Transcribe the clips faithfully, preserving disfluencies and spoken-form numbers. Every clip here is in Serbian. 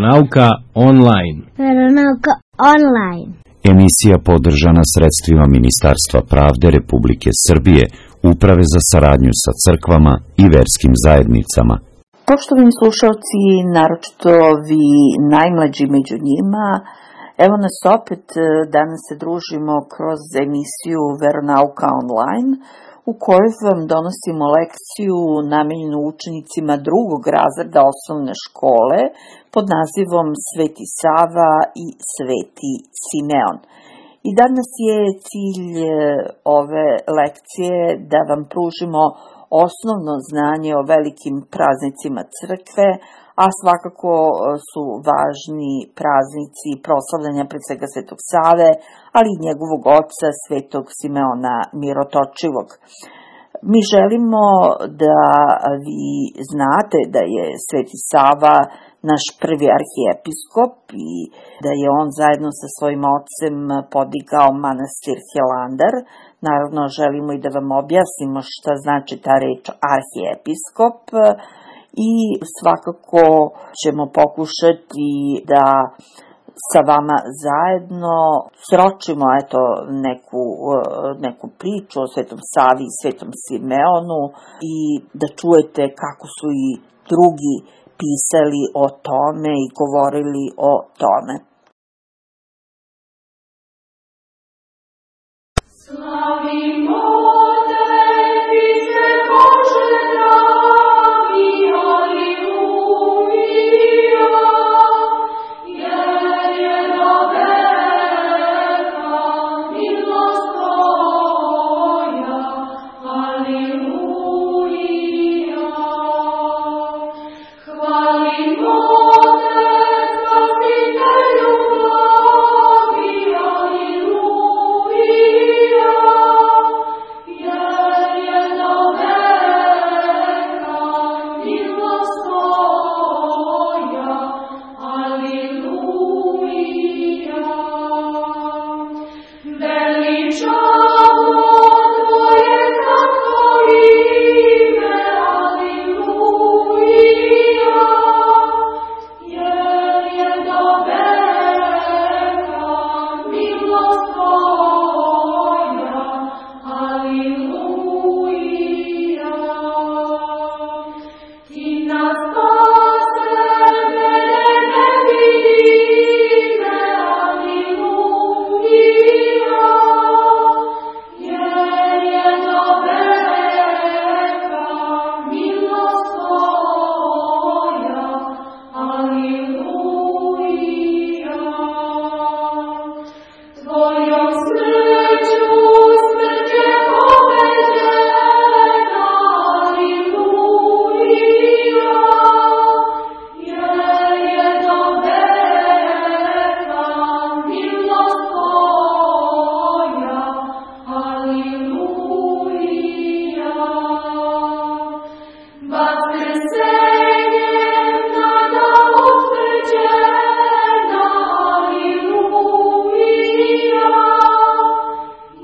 Veronauka online. Veronauka online. Emisija podržana sredstvima Ministarstva pravde Republike Srbije, Uprave za saradnju sa crkvama i verskim zajednicama. Poštovani slušalci, naročito vi najmlađi među njima, evo nas opet, danas se družimo kroz emisiju Veronauka online, u kojoj vam donosimo lekciju namenjenu učenicima drugog razreda osnovne škole pod nazivom Sveti Sava i Sveti Simeon. I danas je cilj ove lekcije da vam pružimo osnovno znanje o velikim praznicima crkve, a svakako su važni praznici proslavljanja pred svega Svetog Save, ali i njegovog oca Svetog Simeona Mirotočivog. Mi želimo da vi znate da je Sveti Sava naš prvi arhijepiskop i da je on zajedno sa svojim ocem podigao manastir Hilandar. Naravno, želimo i da vam objasnimo šta znači ta reč arhijepiskop i svakako ćemo pokušati da sa vama zajedno sročimo eto neku, neku priču o Svetom Savi i Svetom Simeonu i da čujete kako su i drugi pisali o tome i govorili o tome. Slavimo tebi se, Bože dragi, aleluja, jer je do veka milost tvoja, aleluja. Hvalimo te, Spasitelju blagi, aleluja, jer je do veka milost tvoja, aleluja. Veličamo tvoje slatko ime, aleluja, jer je do veka milost tvoja, aleluja. Ti nas spase, mene nevine, aleluja, jer je do veka milost tvoja, aleluja. Tvojom smrću smrt je pobeđena, aleluja, jer je do veka milost tvoja, aleluja. Vaskrsenjem nada utvrđena, aleluja,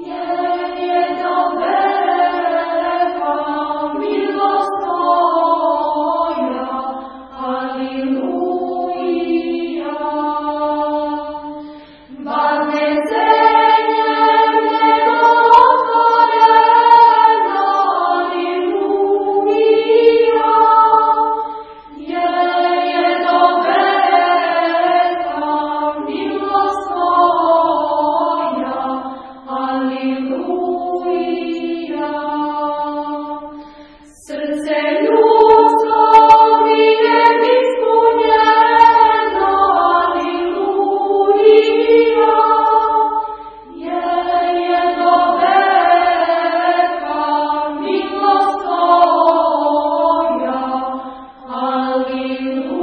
jer je do veka milost tvoja, aleluja. Varnecenjem nebo otvoreno, aleluja, jer je do veka milost tvoja, aleluja. Srce ljudsko miljem ispunjeno, aleluja, jer je do veka milost tvoja, aleluja.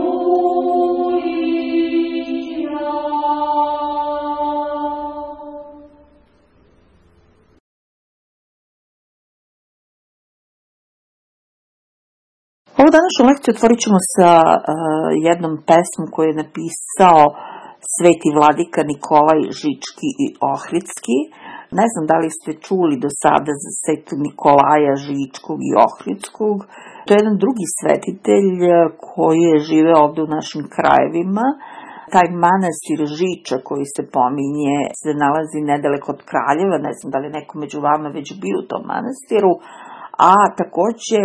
Ovu današnju lekciju otvorit ćemo sa uh, jednom pesmom koju je napisao Sveti vladika Nikolaj Žički i Ohridski. Ne znam da li ste čuli do sada za Svetog Nikolaja Žičkog i Ohridskog. To je jedan drugi svetitelj koji je živeo ovde u našim krajevima. Taj manastir Žiča koji se pominje se nalazi nedaleko od Kraljeva, ne znam da li neko među vama već bio u tom manastiru, a takođe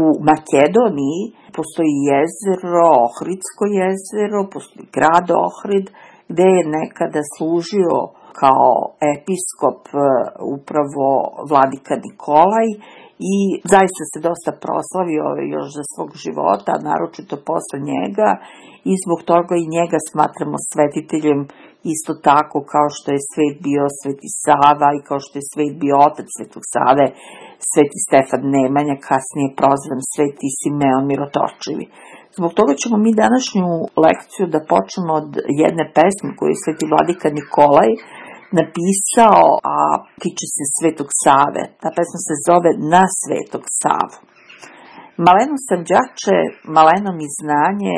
u Makedoniji postoji jezero, Ohridsko jezero, postoji grad Ohrid, gde je nekada služio kao episkop upravo vladika Nikolaj i zaista se dosta proslavio još za svog života, naročito posle njega, i zbog toga i njega smatramo svetiteljem isto tako kao što je svet bio Sveti Sava i kao što je svet bio otac Svetog Save, Sveti Stefan Nemanja, kasnije prozvan Sveti Simeon Mirotočivi. Zbog toga ćemo mi današnju lekciju da počnemo od jedne pesme koju je Sveti vladika Nikolaj napisao, a tiče se Svetog Save. Ta pesma se zove Na Svetog Savu. Maleno sam đače, maleno mi znanje,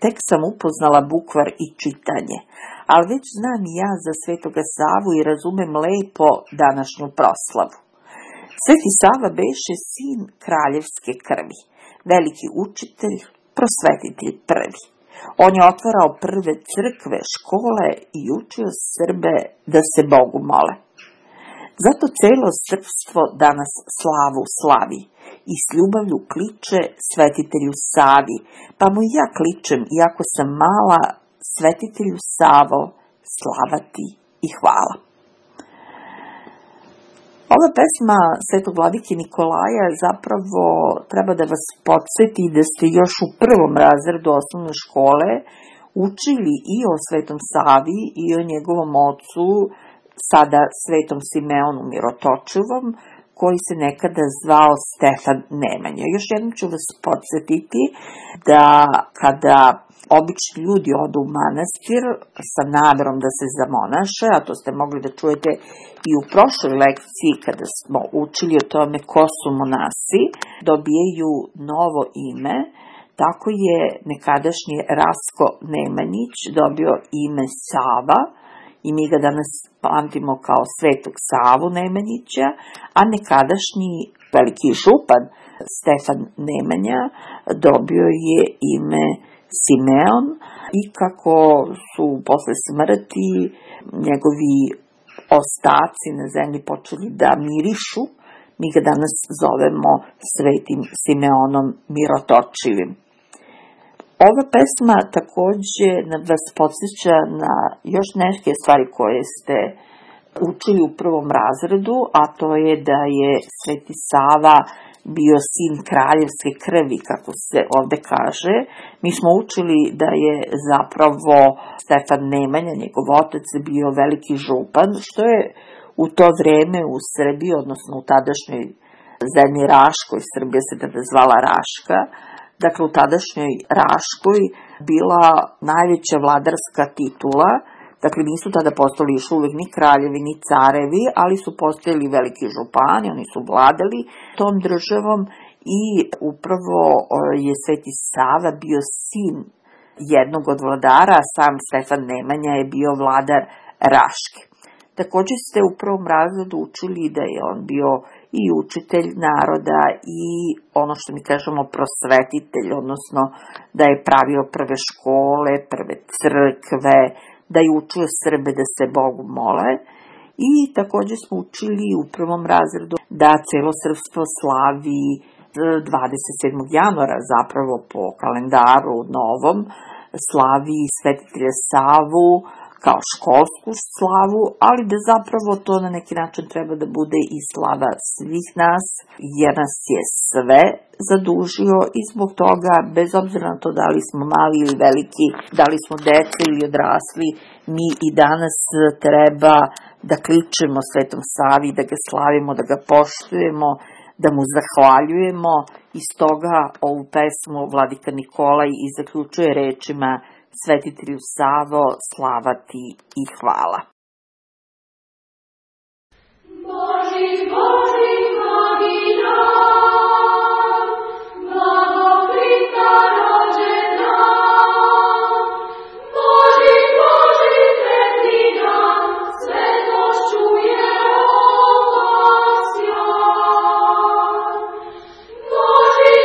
tek sam upoznala bukvar i čitanje, ali već znam i ja za Svetoga Savu i razumem lepo današnju proslavu. Sveti Sava beše sin kraljevske krvi, veliki učitelj, prosvetitelj prvi. On je otvarao prve crkve, škole i učio Srbe da se Bogu mole. Zato celo srpstvo danas slavu slavi i s ljubavlju kliče svetitelju Savi, pa mu i ja kličem, iako sam mala, svetitelju Savo, slava ti i hvala. Ova pesma Svetog vladike Nikolaja zapravo treba da vas podsjeti da ste još u prvom razredu osnovne škole učili i o Svetom Savi i o njegovom ocu, sada Svetom Simeonu Mirotočivom, koji se nekada zvao Stefan Nemanja. Još jednom ću vas podsjetiti da kada obični ljudi odu u manastir sa namerom da se zamonaše, a to ste mogli da čujete i u prošloj lekciji kada smo učili o tome ko su monasi, dobijaju novo ime. Tako je nekadašnji Rasko Nemanjić dobio ime Sava i mi ga danas pamtimo kao Svetog Savu Nemanjića, a nekadašnji veliki župan Stefan Nemanja dobio je ime Simeon i kako su posle smrti njegovi ostaci na zemlji počeli da mirišu, mi ga danas zovemo Svetim Simeonom Mirotočivim. Ova pesma takođe vas podsjeća na još neke stvari koje ste učili u prvom razredu, a to je da je Sveti Sava bio sin kraljevske krvi, kako se ovde kaže. Mi smo učili da je zapravo Stefan Nemanja, njegov otac, bio veliki župan, što je u to vreme u Srbiji, odnosno u tadašnjoj zemlji Raškoj, Srbija se tada zvala Raška, dakle u tadašnjoj Raškoj bila najveća vladarska titula. Dakle, nisu tada postali još uvek ni kraljevi, ni carevi, ali su postojali veliki župani, oni su vladali tom državom i upravo je Sveti Sava bio sin jednog od vladara, a sam Stefan Nemanja je bio vladar Raške. Takođe ste u prvom razredu učili da je on bio i učitelj naroda i ono što mi kažemo prosvetitelj, odnosno da je pravio prve škole, prve crkve, da je učio Srbe da se Bogu mole i takođe smo učili u prvom razredu da celo srpstvo slavi dvadeset sedmog januara, zapravo po kalendaru novom, slavi svetitelja Savu kao školsku slavu, ali da zapravo to na neki način treba da bude i slava svih nas, jer nas je sve zadužio i zbog toga, bez obzira na to da li smo mali ili veliki, da li smo deca ili odrasli, mi i danas treba da kličemo Svetom Savi, da ga slavimo, da ga poštujemo, da mu zahvaljujemo i stoga ovu pesmu vladika Nikolaj i zaključuje rečima Svetitelju Savo, slava ti i hvala. Boži, Boži, mnogi dan, blagokrita rođena. Boži, Boži, sretni dan, svetošću je obasjan. Boži,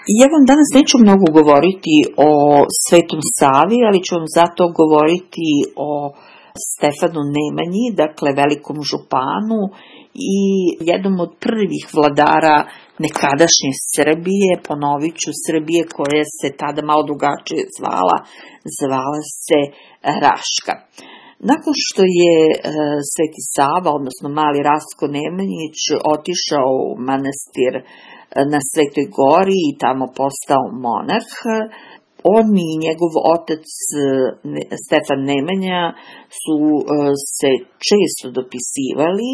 Ja vam danas neću mnogo govoriti o Svetom Savi, ali ću vam zato govoriti o Stefanu Nemanji, dakle velikom županu i jednom od prvih vladara nekadašnje Srbije, ponovit ću, Srbije koja se tada malo drugačije zvala, zvala se Raška. Nakon što je e, Sveti Sava, odnosno mali Rastko Nemanjić, otišao u manastir na Svetoj Gori i tamo postao monah, on i njegov otac Stefan Nemanja su se često dopisivali,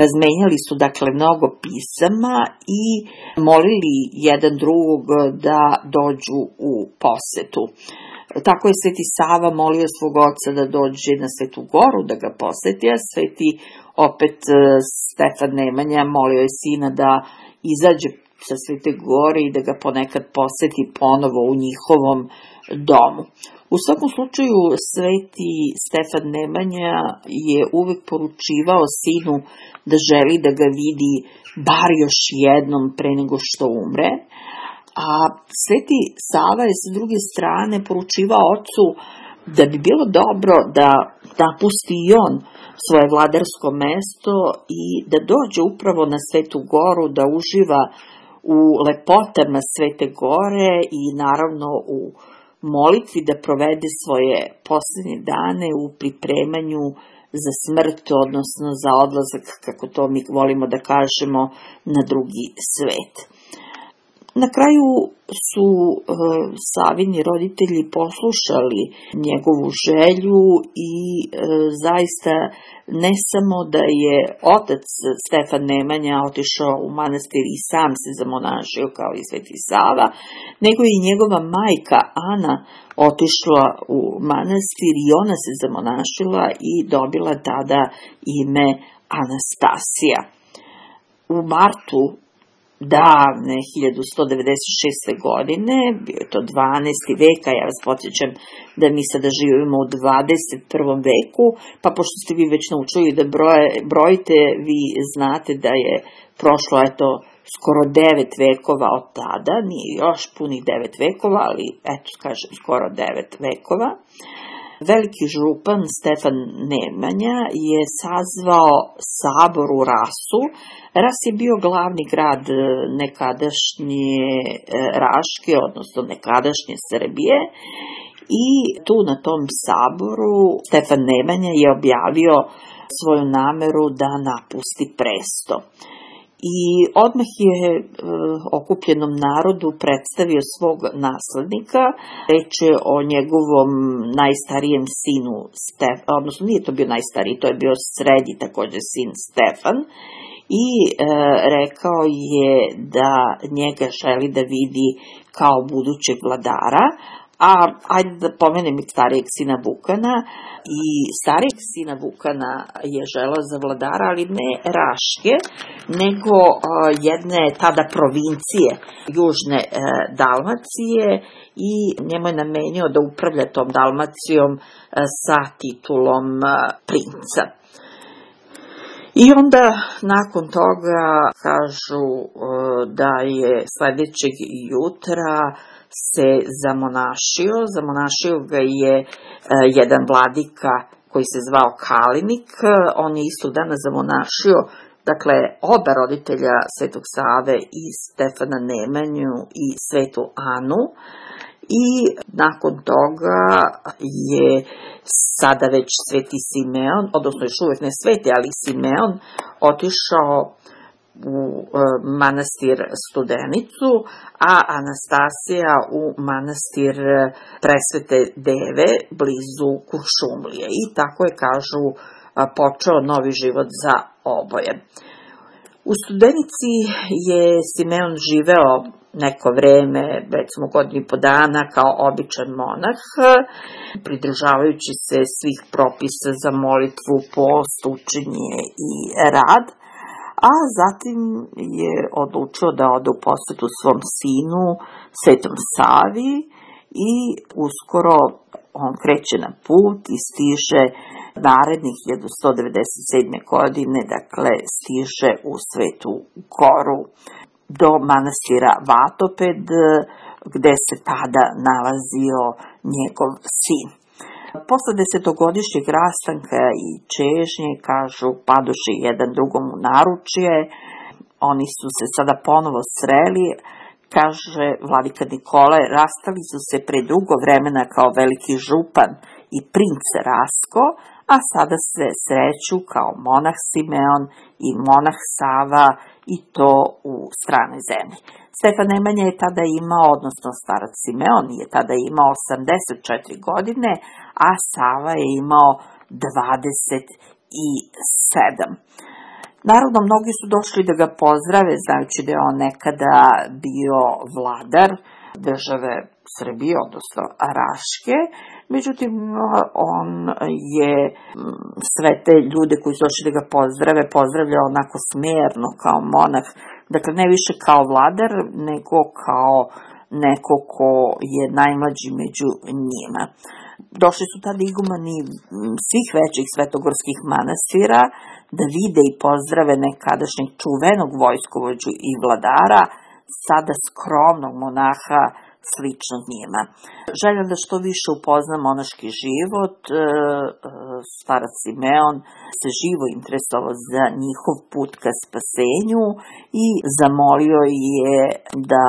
razmenjali su dakle mnogo pisama i molili jedan drugog da dođu u posetu. Tako je Sveti Sava molio svog oca da dođe na Svetu Goru da ga poseti, a Sveti opet Stefan Nemanja molio je sina da izađe sa Svete Gore i da ga ponekad poseti ponovo u njihovom domu. U svakom slučaju, Sveti Stefan Nemanja je uvek poručivao sinu da želi da ga vidi bar još jednom pre nego što umre, a Sveti Sava je sa druge strane poručivao ocu da bi bilo dobro da napusti i on svoje vladarsko mesto i da dođe upravo na Svetu Goru, da uživa u lepotama Svete Gore i naravno u molitvi, da provede svoje posljednje dane u pripremanju za smrt, odnosno za odlazak, kako to mi volimo da kažemo, na drugi svet. Na kraju su e, Savini roditelji poslušali njegovu želju i e, zaista ne samo da je otac Stefan Nemanja otišao u manastir i sam se zamonašio kao i Sveti Sava, nego i njegova majka Ana otišla u manastir i ona se zamonašila i dobila tada ime Anastasija. U martu davne hiljadu sto devedeset šeste. godine, bio je to dvanaesti vek, a ja vas podsjećam da mi sada živimo u dvadeset prvom veku, pa pošto ste vi već naučili da broje, brojite, vi znate da je prošlo eto skoro devet vekova od tada, nije još punih devet vekova, ali eto kažem skoro devet vekova. Veliki župan Stefan Nemanja je sazvao sabor u Rasu. Ras je bio glavni grad nekadašnje Raške, odnosno nekadašnje Srbije, i tu na tom saboru Stefan Nemanja je objavio svoju nameru da napusti presto. I odmah je e, okupljenom narodu predstavio svog naslednika. Reč je o njegovom najstarijem sinu Stefan, odnosno nije to bio najstariji, to je bio srednji također sin Stefan, i e, rekao je da njega želi da vidi kao budućeg vladara. A ajde da pomenem i starijeg sina Vukana. I starijeg sina Vukana je želeo za vladara, ali ne Raške, nego uh, jedne tada provincije južne uh, Dalmacije, i njemu je namenio da upravlja tom Dalmacijom uh, sa titulom uh, princa. I onda nakon toga kažu uh, da je sledećeg jutra se zamonašio. Zamonašio ga je e, jedan vladika koji se zvao Kalinik. On je istog dana zamonašio, dakle, oba roditelja Svetog Save, i Stefana Nemanju i Svetu Anu. I nakon toga je sada već Sveti Simeon, odnosno još uvek ne Sveti, ali Simeon, otišao u manastir Studenicu, a Anastasija u manastir Presvete Deve blizu Kuršumlije. I tako je, kažu, počeo novi život za oboje. U Studenici je Simeon živeo neko vreme, recimo godinu i po dana, kao običan monah, pridržavajući se svih propisa za molitvu, post, učenje i rad. A zatim je odlučio da ode u posetu svom sinu, Svetom Savi, i uskoro on kreće na put i stiže narednih hiljadu sto devedeset sedme. godine, dakle stiže u Svetu Goru. do manastira Vatoped, gde se tada nalazio njegov sin. Posle desetogodišnjeg rastanka i čežnje, kažu, padoše jedan drugom u naručje, oni su se sada ponovo sreli, kaže vladika Nikolaj, rastali su se pre dugo vremena kao veliki župan i princ Rasko, a sada se sreću kao monah Simeon i monah Sava, i to u stranoj zemlji. Stefan Nemanja je tada imao, odnosno starac Simeon je tada imao osamdeset četiri godine, a Sava je imao dvadeset sedam. Naravno, mnogi su došli da ga pozdrave, znajući da je on nekada bio vladar države Srbije, odnosno Raške. Međutim, on je sve te ljude koji su došli da ga pozdrave, pozdravljao onako smerno kao monah, dakle ne više kao vladar, nego kao neko ko je najmlađi među njima. Došli su tada igumani svih većih svetogorskih manastira da vide i pozdrave nekadašnjeg čuvenog vojskovođu i vladara, sada skromnog monaha sličnog njima. Želja da što više upozna monaški život, starac Simeon se živo interesovao za njihov put ka spasenju i zamolio je da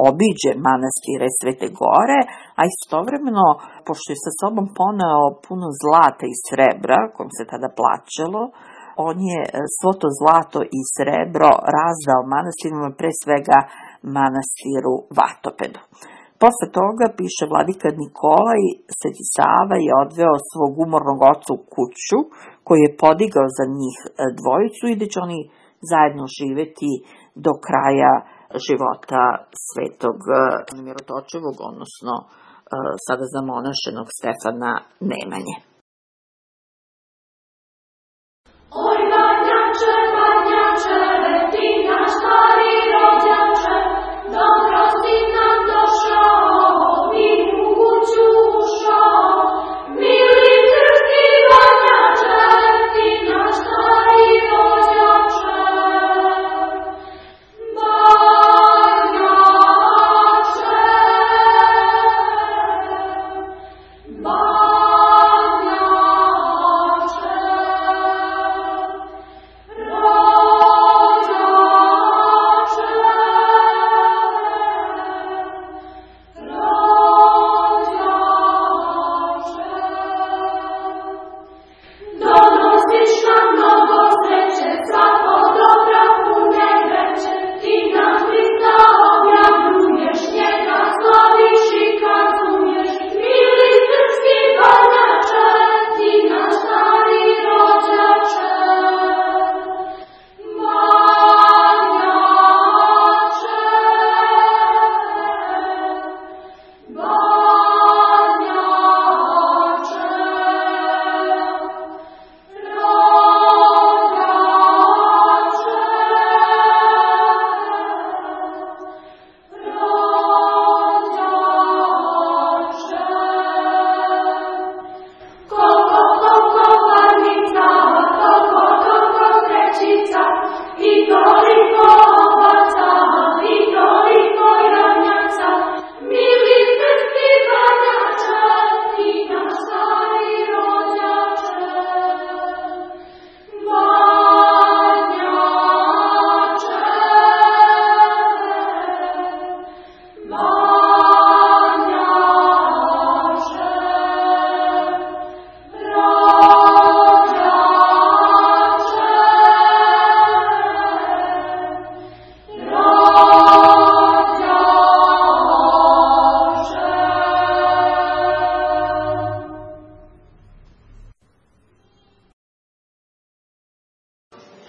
obiđe manastire Svete Gore, a istovremeno, pošto je sa sobom poneo puno zlata i srebra, kojim se tada plaćalo, on je svo to zlato i srebro razdao manastirima, pre svega manastiru Vatopedu. Posle toga, piše vladika Nikolaj, Sveti Sava je odveo svog umornog oca u kuću, koju je podigao za njih dvojicu i da će oni zajedno živeti do kraja života svetog Mirotočevog, odnosno sada zamonašenog Stefana Nemanje. Oj, Badnjače, Badnjače, ti naš stari rođače, dobro si nam došao, i u kuću ušao. Mili srpski Badnjače, ti naš stari rođače. Badnjače,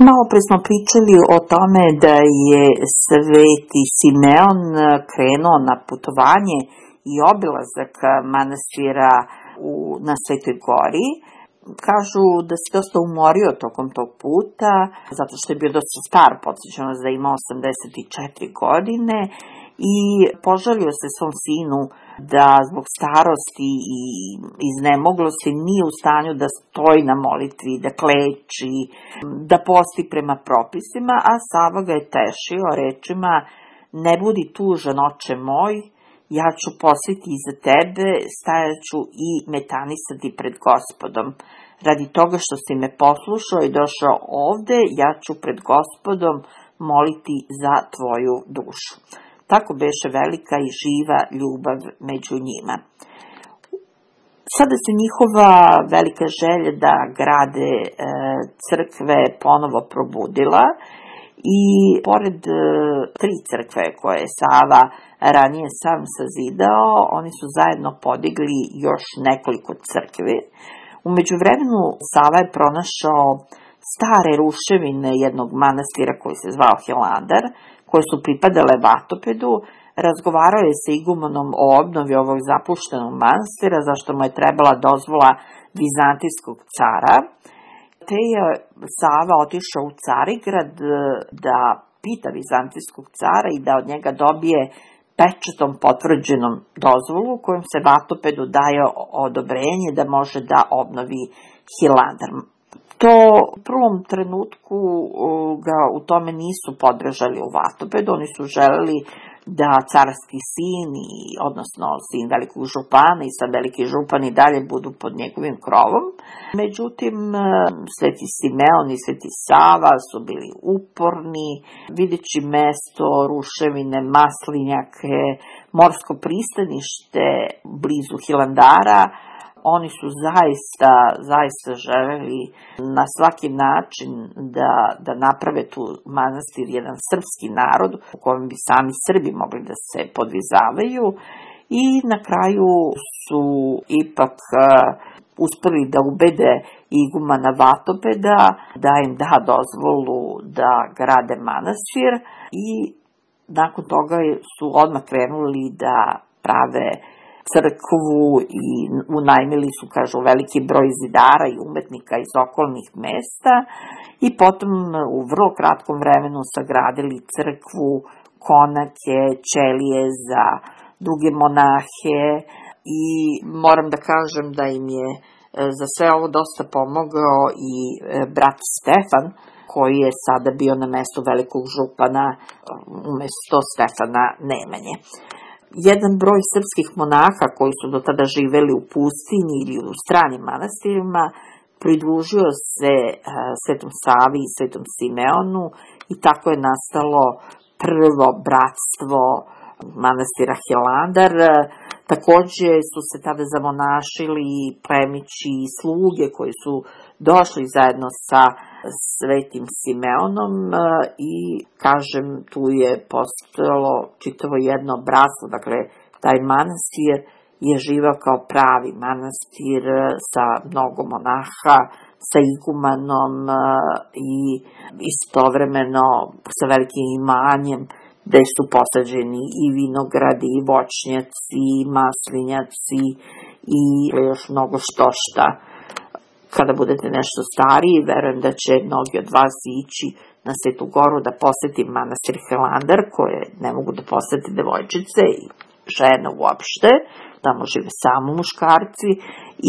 Malo pre smo pričali o tome da je Sveti Simeon krenuo na putovanje i obilazak manastira u, na Svetoj Gori. Kažu da se dosta umorio tokom tog puta, zato što je bio dosta star, podsjećam vas da ima osamdeset četiri godine, i požalio se svom sinu da zbog starosti i iznemoglosti nije u stanju da stoji na molitvi, da kleči, da posti prema propisima, a Sava ga je tešio rečima: ne budi tužan, oče moj, ja ću postiti iza tebe, stajaću i metanisati pred Gospodom. Radi toga što si me poslušao i došao ovde, ja ću pred Gospodom moliti za tvoju dušu. Tako beše velika i živa ljubav među njima. Sada se njihova velika želja da grade e, crkve ponovo probudila i pored e, tri crkve koje je Sava ranije sam sazidao, oni su zajedno podigli još nekoliko crkvi. U međuvremenu Sava je pronašao stare ruševine jednog manastira koji se zvao Hilandar, koje su pripadale Vatopedu. Razgovarao je sa igumanom o obnovi ovog zapuštenog manastira, zašto mu je trebala dozvola vizantijskog cara. Te je Sava otišao u Carigrad da pita vizantijskog cara i da od njega dobije pečatom potvrđenom dozvolu kojom se Vatopedu daje odobrenje da može da obnovi Hilandar. To u prvom trenutku ga u tome nisu podržali u Vatopedu, oni su želeli da carski sin, i, odnosno sin velikog župana i sad veliki župan i dalje budu pod njegovim krovom. Međutim, sveti Simeon i sveti Sava su bili uporni, videći mesto, ruševine, maslinjake, morsko pristanište blizu Hilandara. Oni su zaista, zaista želeli na svaki način da, da naprave tu manastir jedan srpski narod u kojem bi sami Srbi mogli da se podvizavaju i na kraju su ipak uh, uspeli da ubede igumana Vatopeda da im da dozvolu da grade manastir i nakon toga su odmah krenuli da prave crkvu i unajmili su, kažu, veliki broj zidara i umetnika iz okolnih mesta i potom u vrlo kratkom vremenu sagradili crkvu, konake, ćelije za druge monahe i moram da kažem da im je za sve ovo dosta pomogao i brat Stefan, koji je sada bio na mestu velikog župana umesto Stefana Nemanje. Jedan broj srpskih monaha koji su do tada živeli u pustinji ili u stranim manastirima pridružio se Svetom Savi i Svetom Simeonu i tako je nastalo prvo bratstvo manastira Hilandar. Takođe su se tada zamonašili plemići i sluge koji su došli zajedno sa Svetim Simeonom i, kažem, tu je postojalo čitavo jedno bratstvo, dakle, taj manastir je živao kao pravi manastir sa mnogo monaha, sa igumanom i istovremeno sa velikim imanjem, gde su posađeni i vinogradi, i voćnjaci, i maslinjaci i još mnogo što šta. Kada budete nešto stariji, verujem da će mnogi od vas ići na Svetu Goru da poseti manastir Hilandar, koje ne mogu da posete devojčice i žene uopšte, tamo žive samo muškarci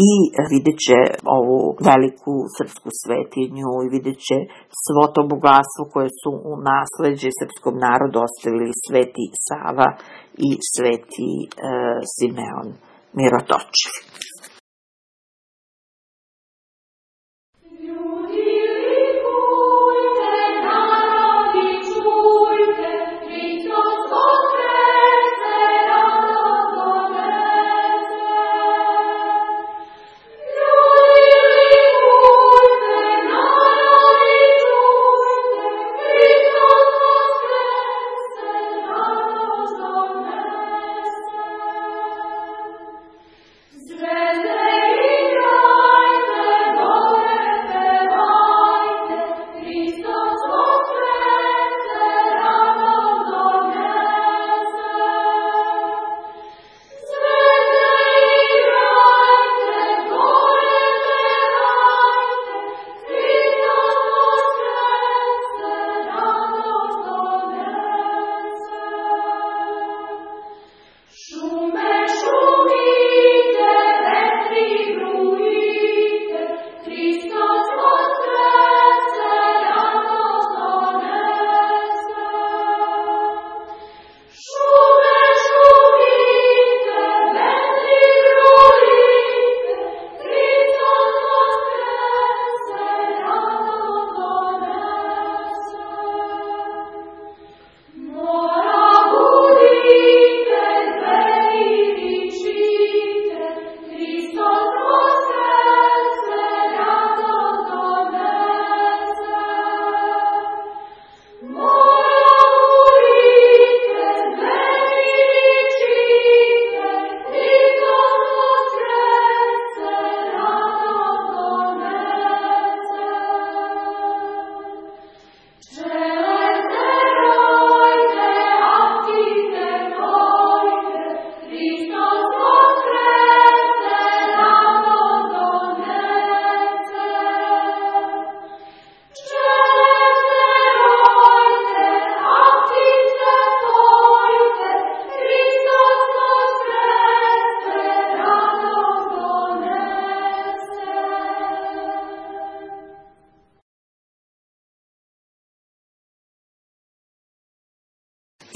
i vidjet će ovu veliku srpsku svetinju i vidjet će svo to bogatstvo koje su u nasleđe srpskom narodu ostavili sveti Sava i sveti e, Simeon Mirotočiv. Zdrowie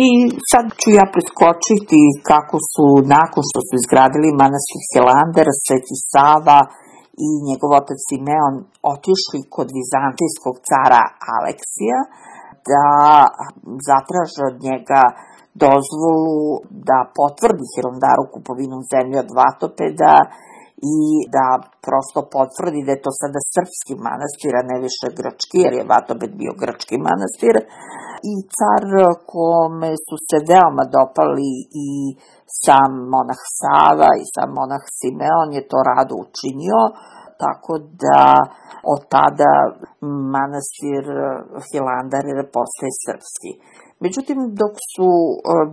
I sad ću ja preskočiti kako su, nakon što su izgradili manastir Hilandar, Sveti Sava i njegov otac Simeon otišli kod vizantijskog cara Aleksija da zatraže od njega dozvolu da potvrdi Hilandaru kupovinu zemlje od Vatopeda i da prosto potvrdi da je to sada srpski manastir, a ne više grčki, jer je Vatoped bio grčki manastir. I car, kome su se veoma dopali i sam monah Sava i sam monah Simeon, je to rado učinio, tako da od tada manastir Hilandar postaje srpski. Međutim, dok su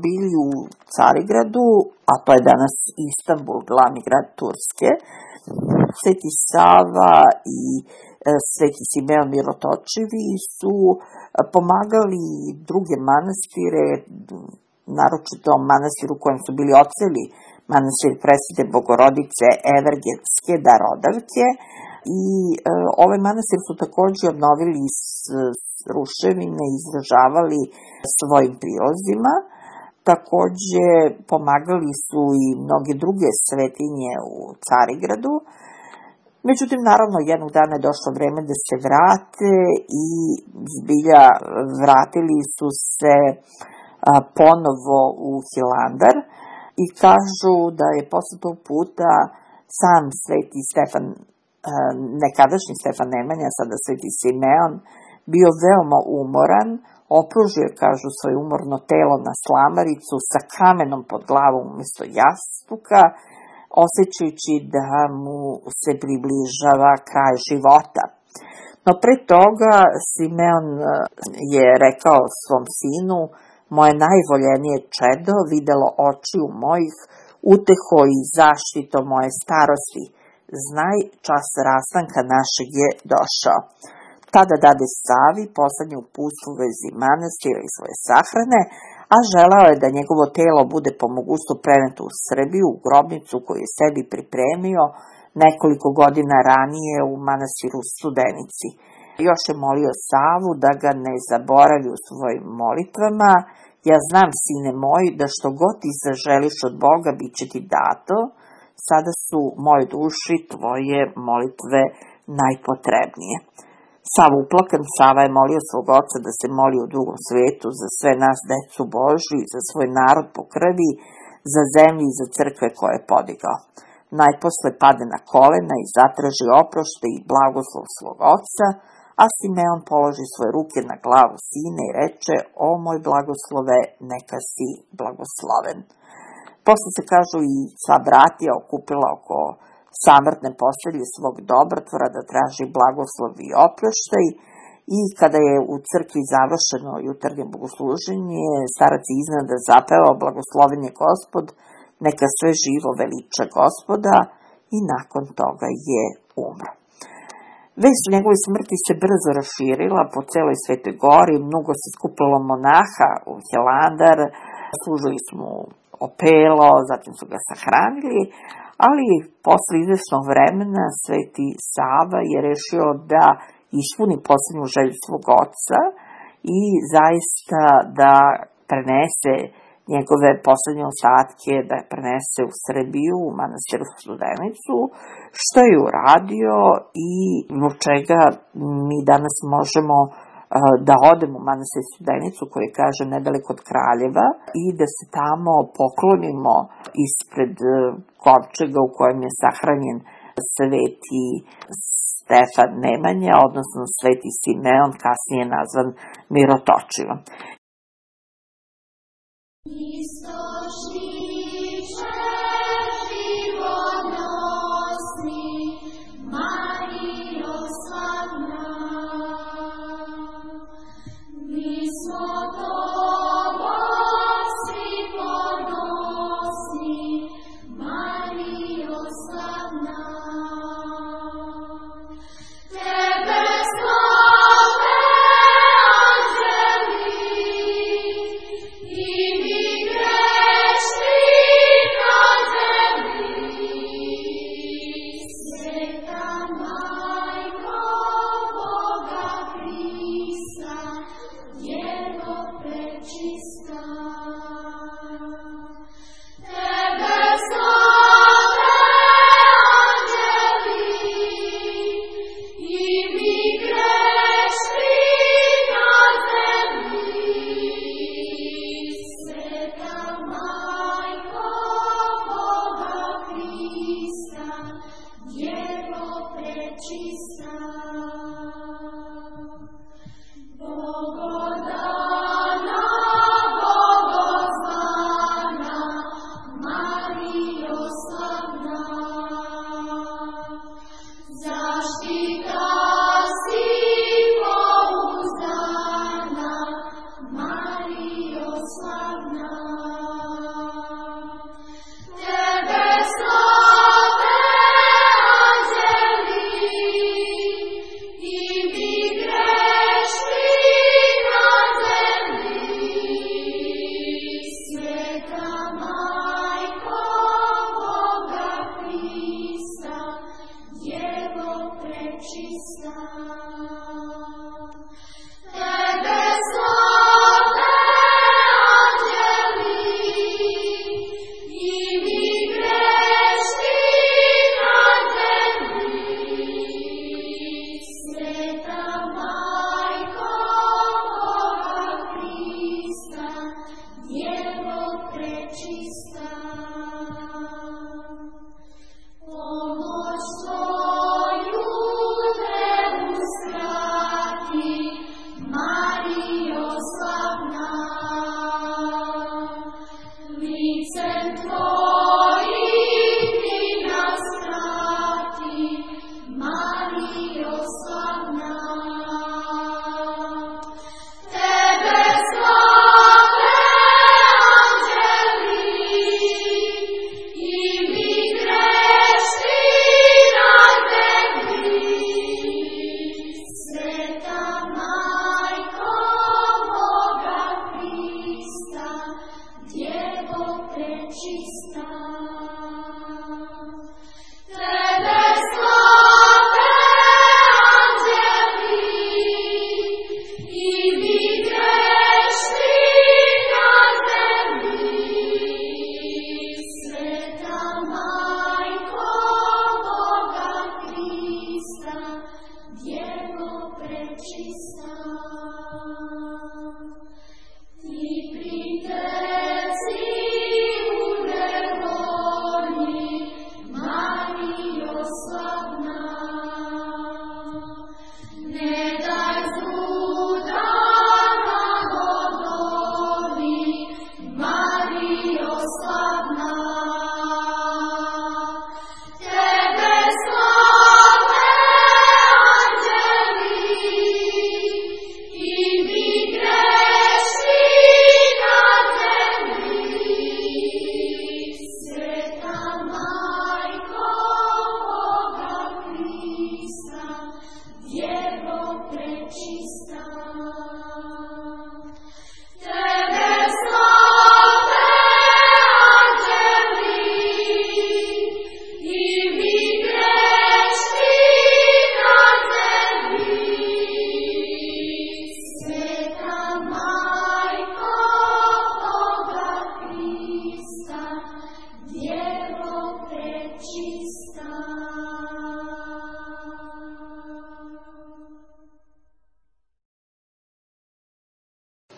bili u Carigradu, a to je danas Istanbul, glavni grad Turske, Sveti Sava i Sveti Simeon Mirotočivi su pomagali druge manastire, naročito manastir u kojem su bili oceli, manastir Presvete Bogorodice Evergetske Darodavke, i e, ovaj manastir su takođe obnovili iz ruševine i izražavali svojim prilozima. Takođe pomagali su i mnoge druge svetinje u Carigradu. Međutim, naravno, jednog dana je došlo vreme da se vrate i zbilja vratili su se a, ponovo u Hilandar i kažu da je posle tog puta sam Sveti Stefan, a, nekadašnji Stefan Nemanja, sada Sveti Simeon, bio veoma umoran, opružio, kažu, svoje umorno telo na slamaricu sa kamenom pod glavom umjesto jastuka, osjećajući da mu se približava kraj života. No pre toga Simeon je rekao svom sinu: moje najvoljenije čedo, videlo očiju mojih, uteho i zaštito moje starosti, znaj, čas rastanka našeg je došao. Tada dade Savi poslednju uputstvo u vezi manastira i svoje sahrane, a želao je da njegovo telo bude po mogućstvu preneto u Srbiju, u grobnicu koju je sebi pripremio nekoliko godina ranije u manastiru Studenici. Još je molio Savu da ga ne zaboravi u svojim molitvama: ja znam, sine moj, da što god ti zaželiš od Boga, bit će ti dato, sada su moje duši tvoje molitve najpotrebnije. Sav uplakan, Sava je molio svog oca da se moli u drugom svetu za sve nas, decu Božju, za svoj narod po krvi, za zemlju i za crkve koje je podigao. Najposle pade na kolena i zatraži oprošte i blagoslov svog oca, a Simeon položi svoje ruke na glavu sina i reče: o moj blagoslove, neka si blagosloven. Posle se, kažu, i sva bratija okupila oko samrtne postelje svog dobrotvora da traži blagoslov i oproštaj, i kada je u crkvi završeno jutarnje bogosluženje, starac je iznenada zapevao: blagosloven je Gospod, neka sve živo veliča Gospoda, i nakon toga je umro. Vest o njegovoj smrti se brzo raširila po celoj Svetoj gori, mnogo se skupilo monaha u Hilandar, služili su mu opelo, zatim su ga sahranili, ali posle izvesnog vremena Sveti Sava je rešio da ispuni poslednju želju svog oca i zaista da prenese njegove poslednje ostatke, da je prenese u Srbiju, u manastiru Studenicu, što je uradio i zbog čega mi danas možemo da odemo u manastir Studenicu, koji kaže nedaleko od Kraljeva, i da se tamo poklonimo ispred kovčega u kojem je sahranjen Sveti Stefan Nemanja, odnosno Sveti Simeon, kasnije nazvan Mirotočivom. Immigrant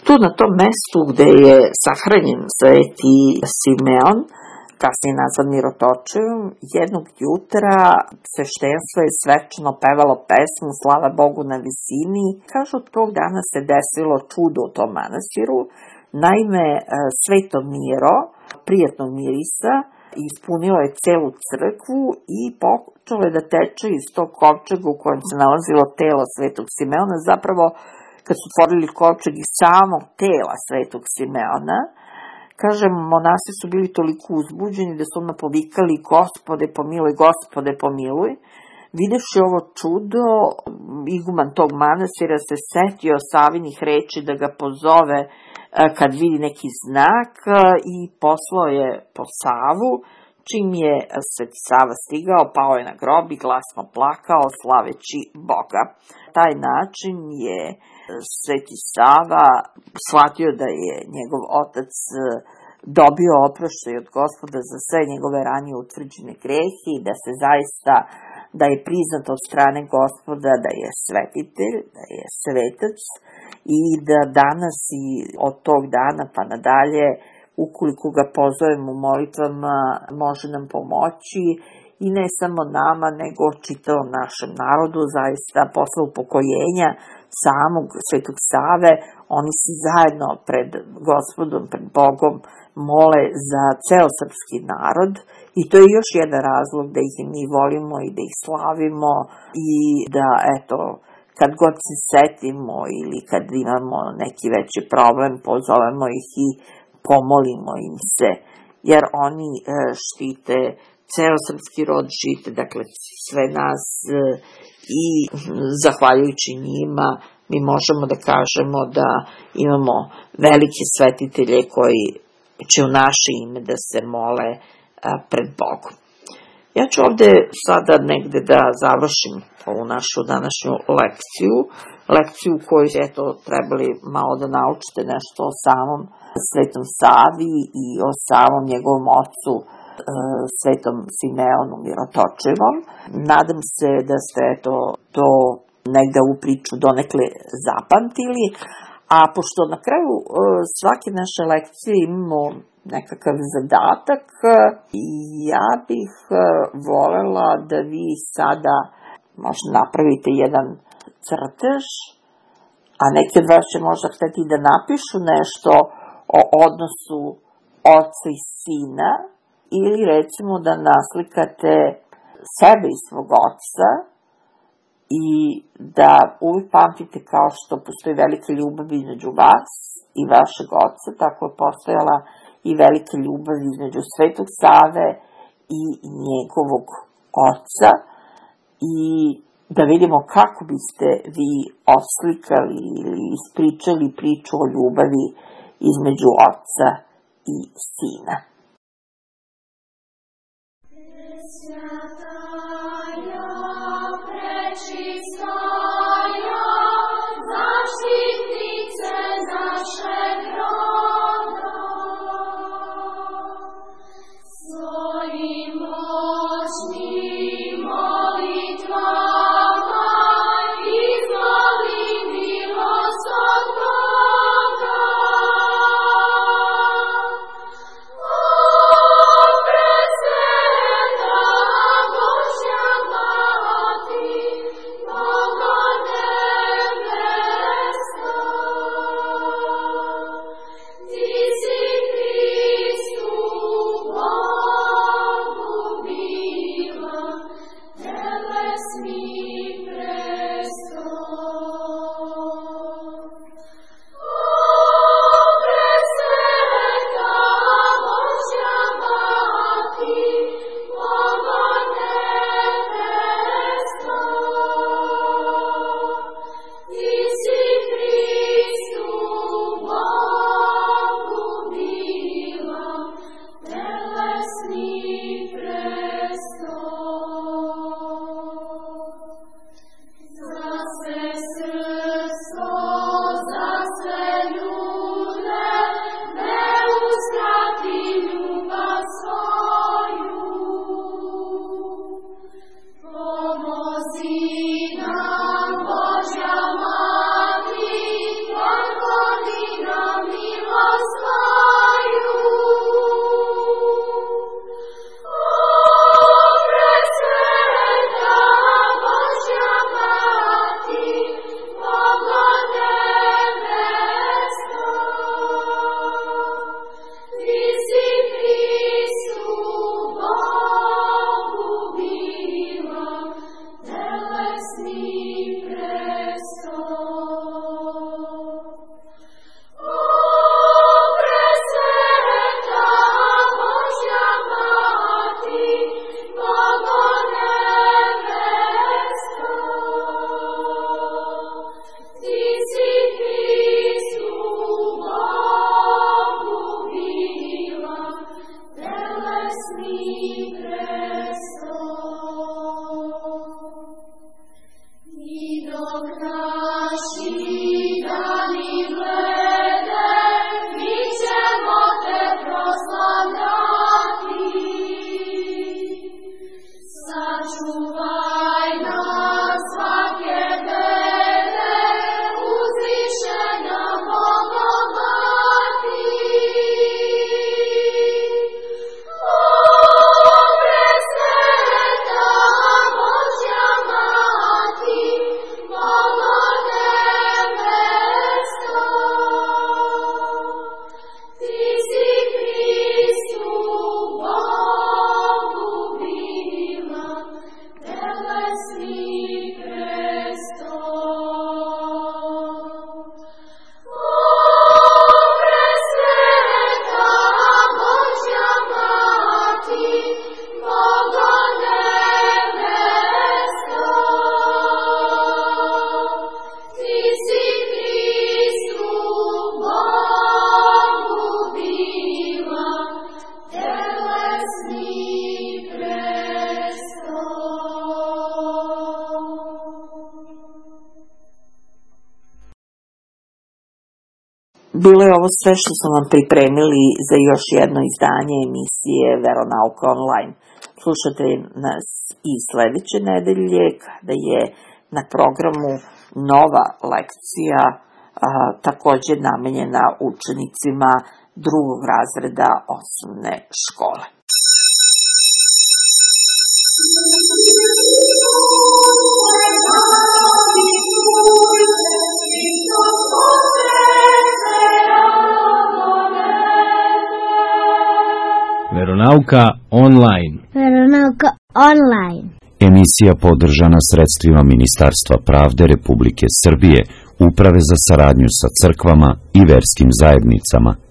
Tu na tom mestu gde je sahranjen sveti Simeon, kasnije nazvan Mirotočivim, jednog jutra sveštenstvo je svečano pevalo pesmu Slava Bogu na visini. Kažu, od tog dana se desilo čudo u tom manastiru. Naime, sveto Miro, prijatnog mirisa, ispunilo je celu crkvu i počelo je da teče iz tog kovčega u kojem se nalazilo telo svetog Simeona, zapravo kad su otvorili kovčeg iz samog tela svetog Simeona. Kažem, monasi su bili toliko uzbuđeni da su odmah povikali Gospode pomiluj, Gospode pomiluj. Videvši ovo čudo, iguman tog manastira se setio Savinih reči da ga pozove kad vidi neki znak i poslao je po Savu. Čim je Sveti Sava stigao, pao je na grob i glasno plakao, slaveći Boga. Taj način je Sveti Sava shvatio da je njegov otac dobio oproštaj od Gospoda za sve njegove ranije utvrđene grehe i da se zaista, da je priznat od strane Gospoda da je svetitelj, da je svetac i da danas i od tog dana pa nadalje, ukoliko ga pozovemo u molitvama, može nam pomoći i ne samo nama, nego čitavom našem narodu, zaista posle upokojenja samog Svetog Save, oni se zajedno pred Gospodom, pred Bogom mole za ceo srpski narod i to je još jedan razlog da ih mi volimo i da ih slavimo i da, eto, kad god se setimo ili kad imamo neki veći problem, pozovemo ih i pomolimo im se, jer oni štite ceo srpski rod, štite, dakle, sve nas i zahvaljujući njima mi možemo da kažemo da imamo velike svetitelje koji će u naše ime da se mole pred Bogom. Ja ću ovde sada negde da završim ovu našu današnju lekciju, lekciju koju eto trebali malo da naučite nešto o samom Svetom Savi i o samom njegovom ocu Svetom Simeonu Mirotočivom. Nadam se da ste eto to negde u priču donekle zapamtili, a pošto na kraju svake naše lekcije imamo nekakav zadatak, ja bih volela da vi sada možda napravite jedan crtež, a neki od vas će možda hteti da napišu nešto o odnosu oca i sina, ili recimo da naslikate sebe i svog oca i da uvijek pamtite kao što postoji velika ljubav između vas i vašeg oca, tako je postojala i velika ljubav između Svetog Save i njegovog oca i da vidimo kako biste vi oslikali ili ispričali priču o ljubavi između oca i sina. Oh Bilo je ovo sve što smo vam pripremili za još jedno izdanje emisije Veronauka online. Slušate nas i sledeće nedelje kada je na programu nova lekcija, a, takođe namenjena učenicima drugog razreda osnovne škole. Veronauka online. Veronauka online. Emisija podržana sredstvima Ministarstva pravde Republike Srbije, Uprave za saradnju sa crkvama i verskim zajednicama.